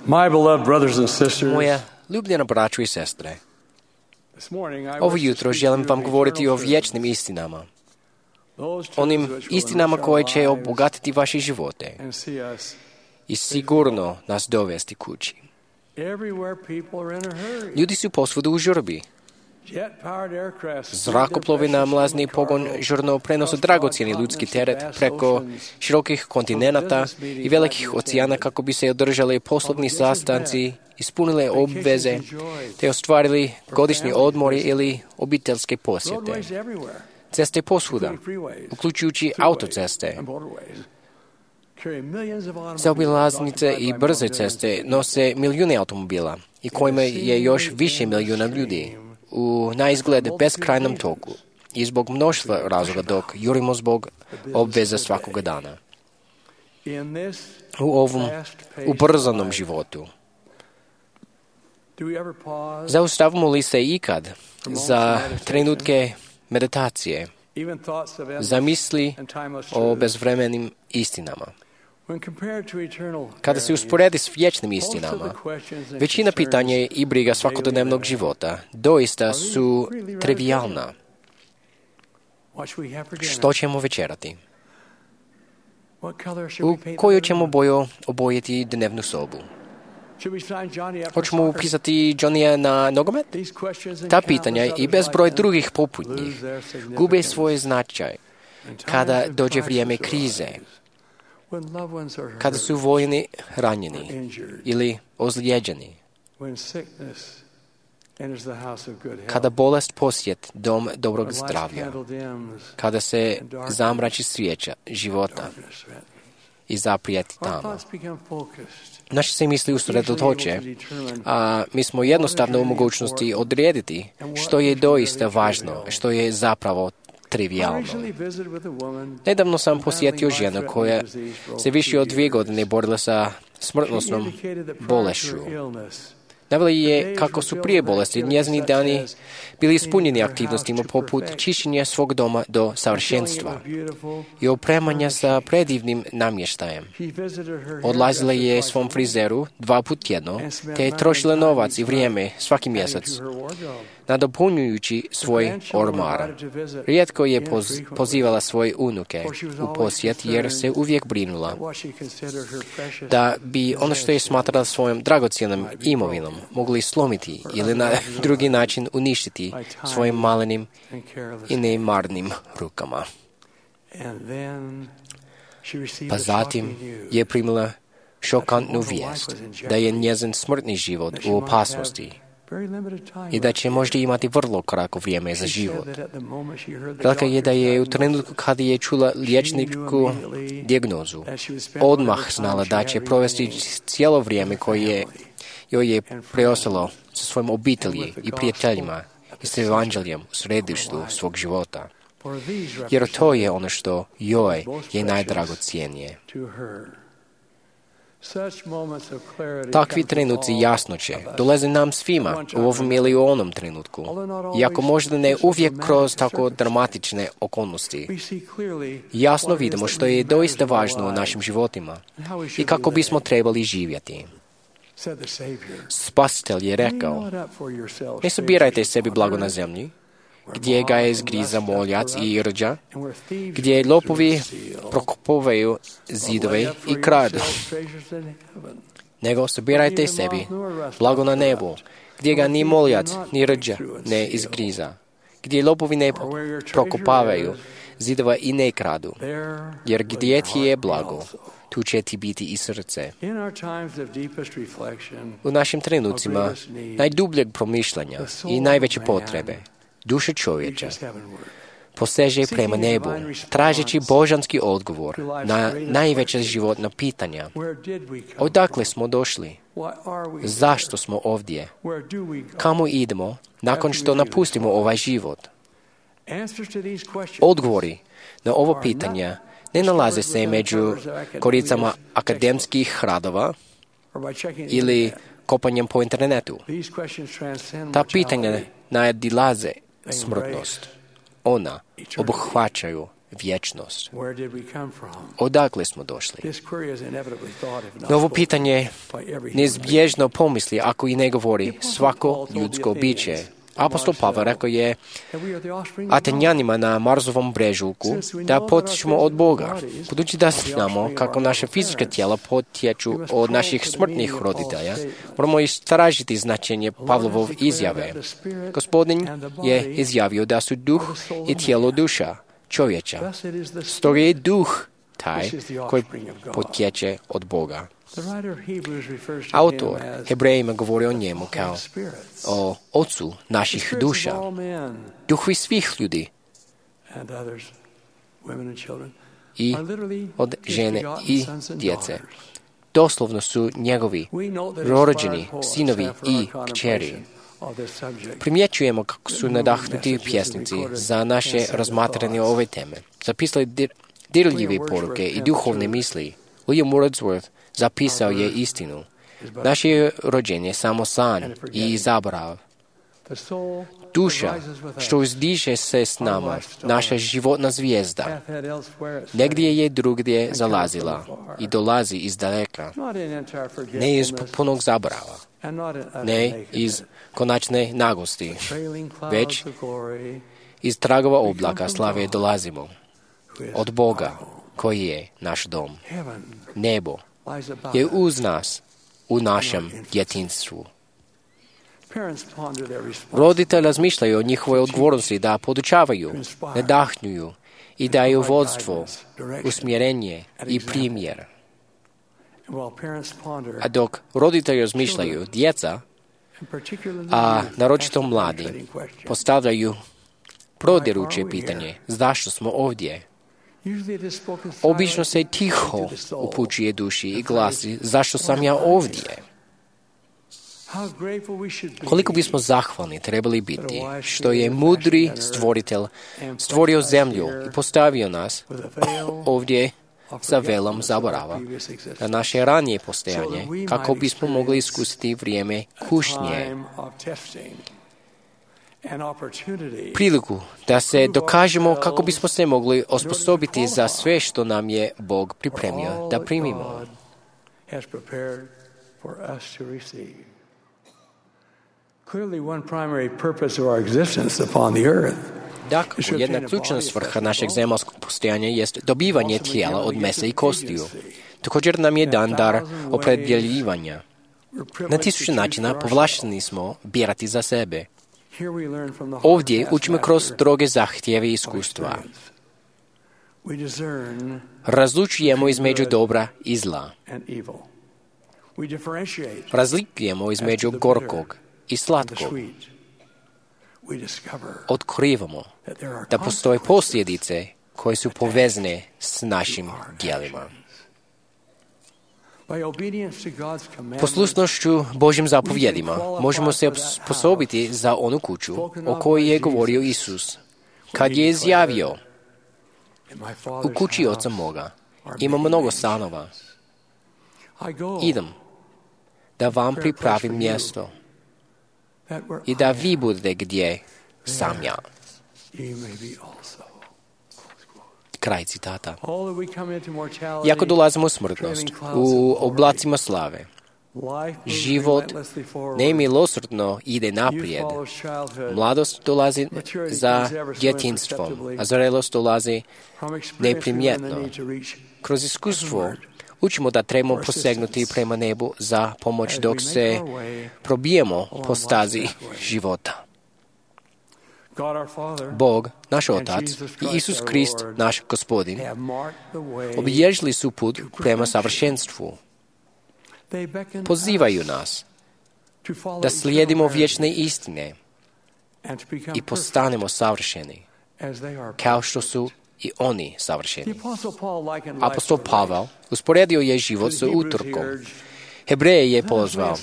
My beloved brothers and sisters, Moja ljubljena braćo i sestre, this morning I ovo wish to jutro speak želim to you vam of govoriti o eternal truth, vječnim istinama, those truths onim which will istinama enrich koje our će lives obogatiti vaše živote and see us i sigurno nas dovesti kući. everywhere. People are in a hurry. Ljudi su posvuda u žurbi. Jet-powered aircraft speed Zrakoplovi their na precious mlazni human pogon cargo žurno prenose across dragocjeni broad ljudski continents and teret vast preko oceans širokih kontinenata business meetings i velikih might be oceana attended. kako bi se održali poslovni Obligations sastanci, met, ispunile obveze, vacations enjoyed, te ostvarili godišnji family odmori visits. ili obiteljske posjete. Roadways everywhere, Ceste posvuda, including freeways, uključujući throughways, autoceste, and motorways, carry millions of automobiles zaobilaznice i occupied by brze millions of ceste people. nose milijune automobila i kojima je još više milijuna ljudi u na izgled beskrajnom toku i zbog mnoštva razloga dok jurimo zbog obveza svakoga dana. In this U ovom fast-paced ubrzanom life, životu do we ever pause, zaustavimo li se ikad za trenutke meditacije, even thoughts of endless za misli and timeless o truth? bezvremenim istinama? When compared to eternal Kada se verities, usporedi s vječnim most of the istinama, questions and većina concerns pitanja i briga svakodnevnog života doista su trivijalna. what should we have for dinner? Što ćemo večerati? What color should U we paint koju the ćemo room? boju obojiti dnevnu sobu? Should we sign Johnny up for Hoćemo soccer? upisati Johnnyja na nogomet? These questions and Ta countless pitanja i others bezbroj like them drugih poput lose njih their gube significance svoj značaj in times kada of dođe crisis vrijeme arise, krize, when loved ones are kada hurt, su vojni ranjeni injured, ili ozlijeđeni, when sickness enters the house of good health, kada bolest posjet dom dobrog when life's zdravlja, candle dims, kada se zamrači svijeća života darkness threatens. i zaprijeti Our tamo. thoughts become focused. Naše se misli usredotoče, a mi smo jednostavno u mogućnosti odrediti što je doista važno, što je zapravo I trivijalno. recently visited with a woman Nedavno sam who posjetio battling ženu life-threatening koja disease for se over više od 2 2 years. godine borila sa She smrtnosnom indicated that prior to bolešću. her illness, Navela je kako su prije bolesti njezini dani bili ispunjeni aktivnostima poput čišćenja svog doma do savršenstva i opremanja sa predivnim namještajem. Odlazila je svom frizeru 2 puta tjedno, te je trošila novac i vrijeme svaki mjesec, nadopunjujući svoj ormar. Rijetko je pozivala svoje unuke u posjet jer se uvijek brinula da bi ono što je smatrala svojom dragocjenom imovinom mogli slomiti ili na drugi način uništiti svojim malenim i nemarnim rukama. Pa zatim je primila šokantnu vijest da je njezin smrtni život u opasnosti i da će možda imati vrlo kratko vrijeme za život. Rekla je da je u trenutku kada je čula liječničku dijagnozu odmah znala da će provesti cijelo vrijeme koje joj je preostalo sa svojim obitelji i prijateljima i s evanđeljem u središtu svog života. Jer to je ono što joj je najdragocijenije. Takvi trenuci jasnoće dolaze nam svima u ovom ili u onom trenutku, iako možda ne uvijek kroz tako dramatične okolnosti. Jasno vidimo što je doista važno u našim životima i kako bismo trebali živjeti. Spasitelj je rekao, ne sabirajte sebi blago na zemlji, gdje ga je zgriza moljac i rđa, gdje lopovi prokopavaju zidove i kradu. Nego sabirajte sebi blago na nebu, gdje ga ni moljac ni rđa ne izgriza, gdje lopovi ne prokopavaju zidova i ne kradu, jer gdje ti je blago, tu će ti biti i srce. U našim trenucima najdubljeg promišljanja i najveće potrebe duša čovječa poseže prema nebu, tražeći božanski odgovor na najveća životna pitanja. Odakle smo došli? Zašto smo ovdje? Kamo idemo nakon što napustimo ovaj život? Odgovori na ovo pitanja ne nalaze se među koricama akademskih radova ili kopanjem po internetu. Ta pitanja nadilaze smrtnost. Ona obuhvaćaju vječnost. Where did we come from? Odakle smo došli? This query is inevitably thought, if not Novo spoken, pitanje by every human neizbježno pomisli ako i ne govori svako ljudsko biće. Apostol Pavel rekao je that we are the offspring of God. Atenjanima na Marsovom brežuljku da potječemo od Boga. Budući da znamo kako naše fizička tijela potječu od naših smrtnih roditelja, moramo istražiti značenje Pavlovov izjave. Gospodin je izjavio da su duh i tijelo duša čovječa. Stoga je duh taj koji potječe od Boga. Autor Hebrejima govori o njemu kao o ocu naših duša, duhovi svih ljudi i od žene i djece. Doslovno su njegovi rođeni sinovi i kćeri. Primjećujemo kako su nadahnuti pjesnici za naše razmatranje ove teme. Zapisali dirljive poruke i duhovne misli. William Wordsworth zapisao je istinu. Naše rođenje je samo san i zaborav. Duša što uzdiže se s nama, naša životna zvijezda, negdje je drugdje zalazila i dolazi iz daleka, ne iz potpunog zaborava, ne iz konačne nagosti, već iz tragova oblaka slave dolazimo od Boga koji je naš dom. Nebo je uz nas u našem djetinjstvu. Roditelji razmišljaju o njihovoj odgovornosti da podučavaju, nadahnjuju i daju vodstvo, usmjerenje i primjer. A dok roditelji razmišljaju, djeca, a naročito mladi, postavljaju prodiruće pitanje zašto smo ovdje. Obično se tiho upućuje duši i glasi zašto sam ja ovdje. Koliko bismo zahvalni trebali biti što je mudri stvoritelj stvorio zemlju i postavio nas ovdje sa velom zaborava na naše ranije postojanje kako bismo mogli iskusiti vrijeme kušnje, priliku da se dokažemo kako bismo se mogli osposobiti za sve što nam je Bog pripremio da primimo. Dakle, jedna ključna svrha našeg zemaljskog postojanja jest dobivanje tijela od mesa i kostiju. Također nam je dan dar opredjeljivanja. Na tisuće načina povlašteni smo birati za sebe. Ovdje učimo kroz stroge zahtjeve i iskustva. Razlučujemo između dobra i zla. Razlikujemo između gorkog i slatkog. Otkrivamo da postoje posljedice koje su povezane s našim djelima. Poslušnošću Božjim zapovjedima možemo se osposobiti za onu kuću o kojoj je govorio Isus, kad je izjavio: u kući oca moga ima mnogo stanova. Idem da vam pripravim mjesto i da vi budete gdje sam ja. Kraj citata. Iako dolazimo u smrtnost, u oblacima slave, život nemilosrdno ide naprijed. Mladost dolazi za djetinjstvom, a zrelost dolazi neprimjetno. Kroz iskustvo učimo da trebamo posegnuti prema nebu za pomoć dok se probijemo po stazi života. Bog, naš Otac, i Isus Krist, naš Gospodin, obilježili su put prema savršenstvu. Pozivaju nas da slijedimo vječne istine i postanemo savršeni, kao što su i oni savršeni. Apostol Pavel usporedio je život sa utrkom. Hebreje je pozvao: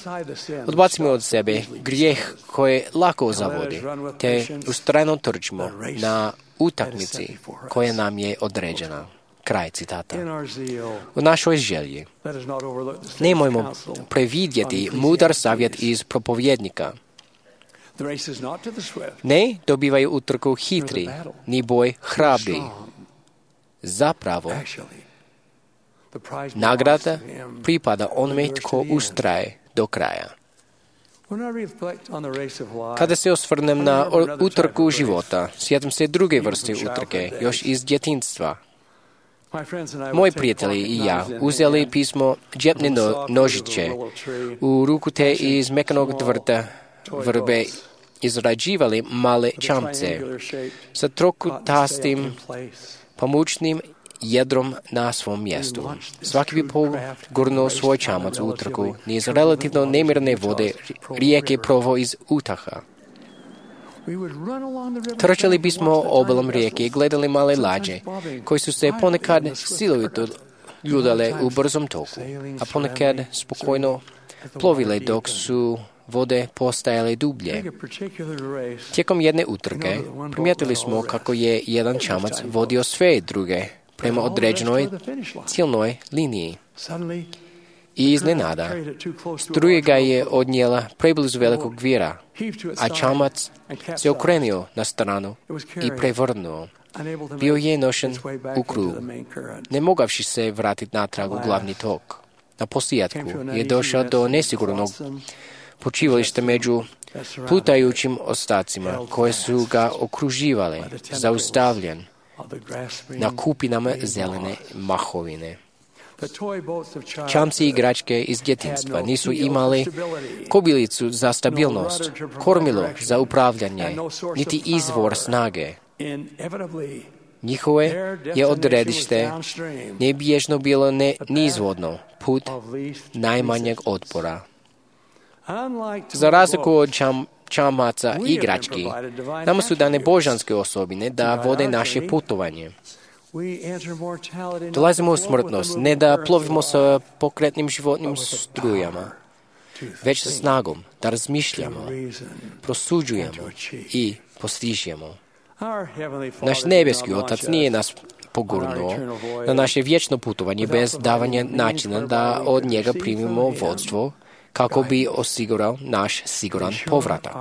odbacimo od sebe grijeh koje lako zavodi, te ustrajno trčimo na utakmici koja nam je određena. Kraj citata. U našoj želji nemojmo previdjeti mudar savjet iz propovjednika. Ne dobivaju utrku hitri, ni boj hrabri, Zapravo, nagrada pripada onome tko ustraje do kraja. Kada se osvrnem na utrku života, sjetim se druge vrste utrke, još iz djetinjstva. Moji prijatelji i ja uzeli pismo džepne nožiće u ruku te iz mekanog drveta vrbe izrađivali male čamce sa trokutastim pamučnim jedrom na svom mjestu. Svaki bi pogurnuo svoj čamac u utrku niz relativno nemirne vode rijeke provo iz utaha. Trčali bismo obalom rijeke i gledali male lađe, koji su se ponekad silovito ljudale u brzom toku, a ponekad spokojno plovile dok su vode postajale dublje. Tijekom jedne utrke primijetili smo kako je jedan čamac vodio sve druge prema određenoj ciljnoj liniji. I iznenada, struja ga je odnijela preblizu velikog vira, a čamac se okrenio na stranu i prevrnuo. Bio je nošen u krug, ne mogavši se vratiti natrag u glavni tok. Na posljedku je došao do nesigurnog počivališta među plutajućim ostacima koje su ga okruživale, zaustavljen na kupinama zelene mahovine. Čamci i igračke iz djetinjstva nisu imali kobilicu za stabilnost, kormilo za upravljanje, niti izvor snage. Njihove je odredište nebježno bilo nizvodno, put najmanjeg otpora. Za razliku od čamaca i igrački, nama su dane božanske osobine da vode naše putovanje. Dolazimo u smrtnost, ne da plovimo sa pokretnim životnim strujama, već sa snagom da razmišljamo, prosuđujemo i postižemo. Naš nebeski Otac nije nas pogurnuo na naše vječno putovanje bez davanja načina da od njega primimo vodstvo kako bi osigurao naš siguran povratak.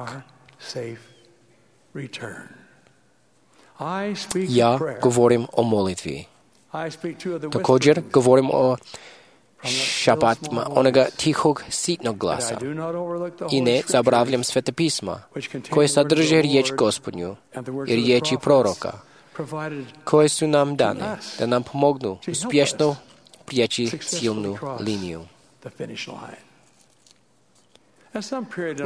Ja govorim o molitvi. Također govorim o šapatima onoga tihog, sitnog glasa. I ne zaboravljam Sveta pisma, koje sadrže riječ Gospodnju i riječi proroka, koje su nam dane da nam pomognu uspješno prijeći ciljnu liniju.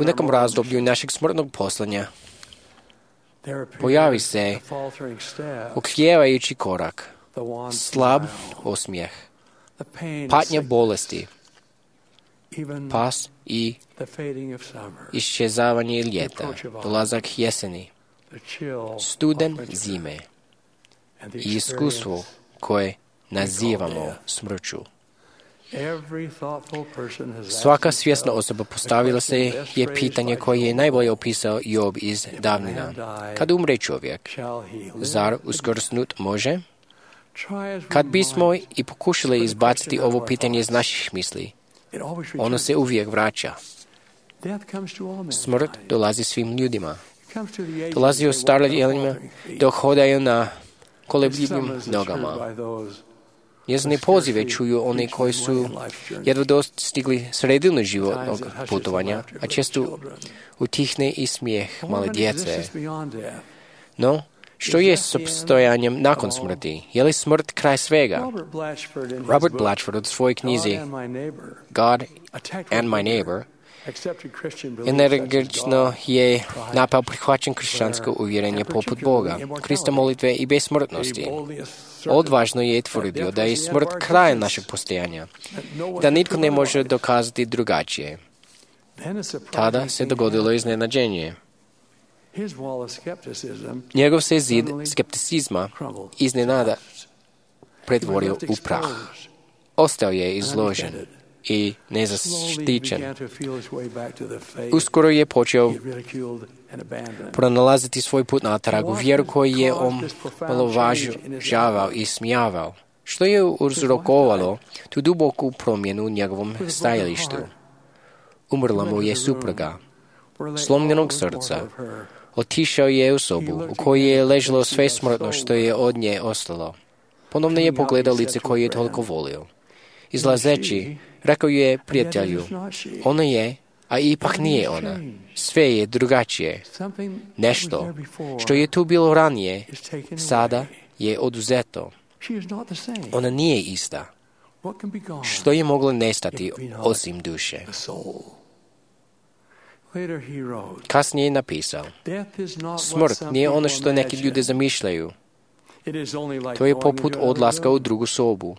U nekom razdoblju našeg smrtnog poslanja pojavi se oklijevajući korak, slab osmijeh, patnja bolesti, pas i iščezavanje ljeta, dolazak jeseni, studen zime i iskustvo koje nazivamo smrću. Svaka svjesna osoba postavila se je pitanje koje je najbolje opisao Job iz davnina. Kad umre čovjek, zar uskrsnut može? Kad bismo i pokušali izbaciti ovo pitanje iz naših misli, ono se uvijek vraća. Smrt dolazi svim ljudima. Dolazi ostavljanima dok hodaju na kolebljivim nogama. Njezine pozive čuju oni koji su jedva dostigli sredinu životnog putovanja, a često utihne i smijeh male djece. No, što je s opstojanjem nakon smrti? Je li smrt kraj svega? Robert Blatchford u svojoj knjizi God and My Neighbor energično je napao prihvaćen kršćansko uvjerenje poput Boga, Krista molitve i besmrtnosti. Odvažno je tvrdio da je smrt kraj našeg postojanja, da nitko ne može dokazati drugačije. Tada se dogodilo iznenađenje. Njegov se zid skepticizma iznenada pretvorio u prah. Ostao je izložen i nezaštićen. Uskoro je počeo pronalaziti svoj put natrag u vjeru koju je omalovažavao i smijavao, što je uzrokovalo tu duboku promjenu u njegovom stajalištu. Umrla mu je supruga, slomljenog srca. Otišao je u sobu u kojoj je ležalo sve smrtno što je od nje ostalo. Ponovno je pogledao lice koje je toliko volio. Izlazeći, rekao je prijatelju, ona je, a ipak nije ona. Sve je drugačije. Nešto što je tu bilo ranije, sada je oduzeto. Ona nije ista. Što je moglo nestati osim duše? Kasnije je napisao, smrt nije ono što neki ljudi zamišljaju. To je poput odlaska u drugu sobu.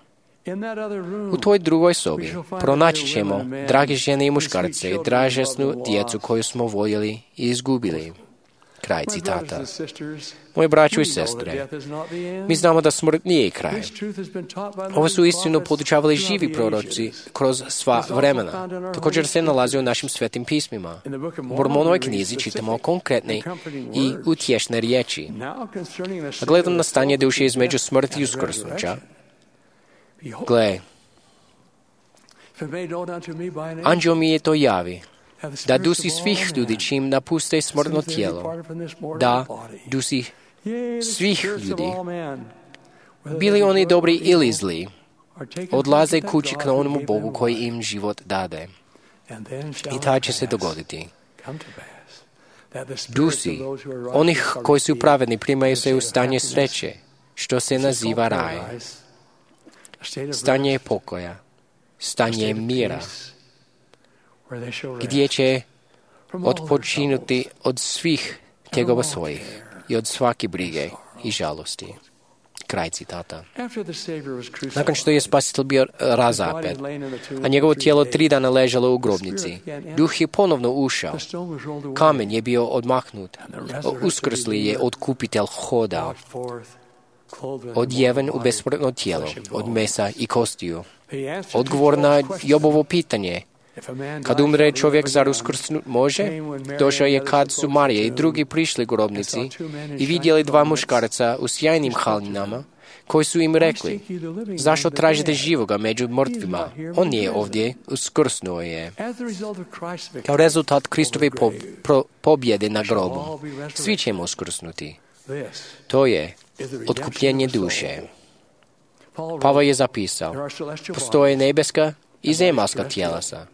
U toj drugoj sobi pronaći ćemo drage žene i muškarce i dražesnu djecu koju smo voljeli i izgubili. Kraj citata. Moji braćo i sestre, mi znamo da smrt nije kraj. Ovo su istinu podučavali živi proroci kroz sva vremena. Također se nalazi u našim svetim pismima. U Mormonovoj knjizi čitamo konkretne i utješne riječi. A gledam na stanje duše između smrti i uskrsnuća. Gle, anđeo mi je to javi, da dusi svih ljudi čim napuste smrtno tijelo, da dusi svih ljudi, bili oni dobri ili zli, odlaze kući k onomu Bogu koji im život dade. I taj će se dogoditi. Dusi onih koji su pravedni primaju se u stanje sreće, što se naziva raj. Stanje pokoja, stanje mira, gdje će odpočinuti od svih tegova svojih i od svake brige i žalosti. Kraj citata. Nakon što je Spasitelj bio razapet, a njegovo tijelo 3 dana ležalo u grobnici, duh je ponovno ušao. Kamen je bio odmahnut. Uskrsli je otkupitelj hodao. Odjeven u besmrtno tijelo, od mesa i kostiju. Odgovor na Jobovo pitanje, kad umre čovjek, zar uskrsnut može? Došao je kad su Marija i drugi prišli grobnici i vidjeli 2 muškarca u sjajnim haljinama, koji su im rekli, zašto tražite živoga među mrtvima? On je ovdje, uskrsnuo je. Kao rezultat Kristove pobjede na grobu, svi ćemo uskrsnuti. To je otkupljenje duše. Pavao je zapisao, postoje nebeska i zemaljska tjelesa,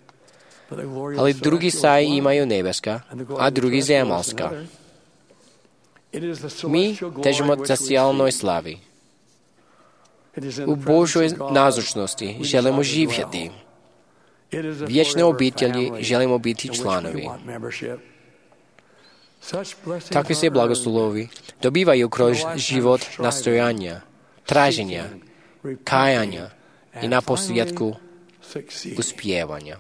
ali drugi saji imaju nebeska, a drugi zemaljska. Mi težimo zasjalnoj slavi. U Božoj nazočnosti želimo živjeti. Vječne obitelji želimo biti članovi. Takvi se blagoslovi dobivaju kroz život nastojanja, traženja, kajanja i naposljetku uspijevanja.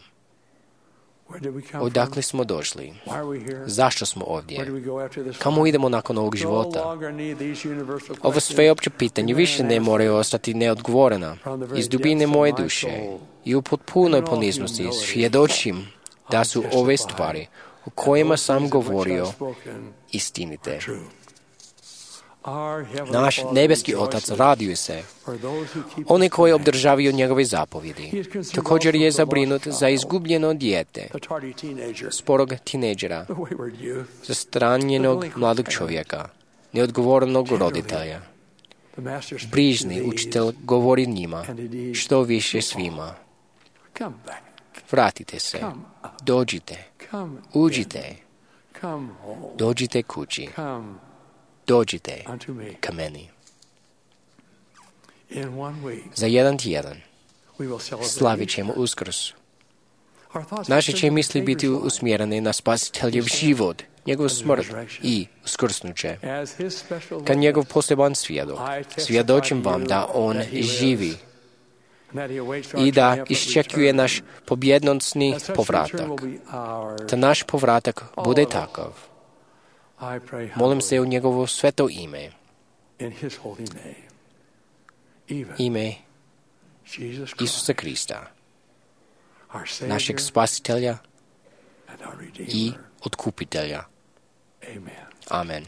Odakle smo došli? Zašto smo ovdje? Kamo idemo nakon ovog života? Ovo sveopće pitanje više ne moraju ostati neodgovorena. Iz dubine moje duše i u potpunoj poniznosti svjedočim da su ove stvari o kojima sam govorio istinite. Naš nebeski Otac raduje se. Oni koji obdržavaju njegove zapovjedi. Također je zabrinut za izgubljeno dijete, sporog tineđera, zastranjenog mladog čovjeka, neodgovornog roditelja. Brižni učitelj govori njima, što više svima. Vratite se, dođite, uđite, dođite kući. Dođite ka meni. Za 1 tjedan slavit ćemo Uskrs. Naše će misli biti usmjerene na Spasiteljev život, njegov smrt i uskrsnuće. Kad njegov poseban svjedok, svjedočim vam da on živi i da iščekuje naš pobjednosni povratak. Da naš povratak bude takav. Molim se u njegovo sveto ime, ime Isusa Krista, našeg Spasitelja i Otkupitelja. Amen.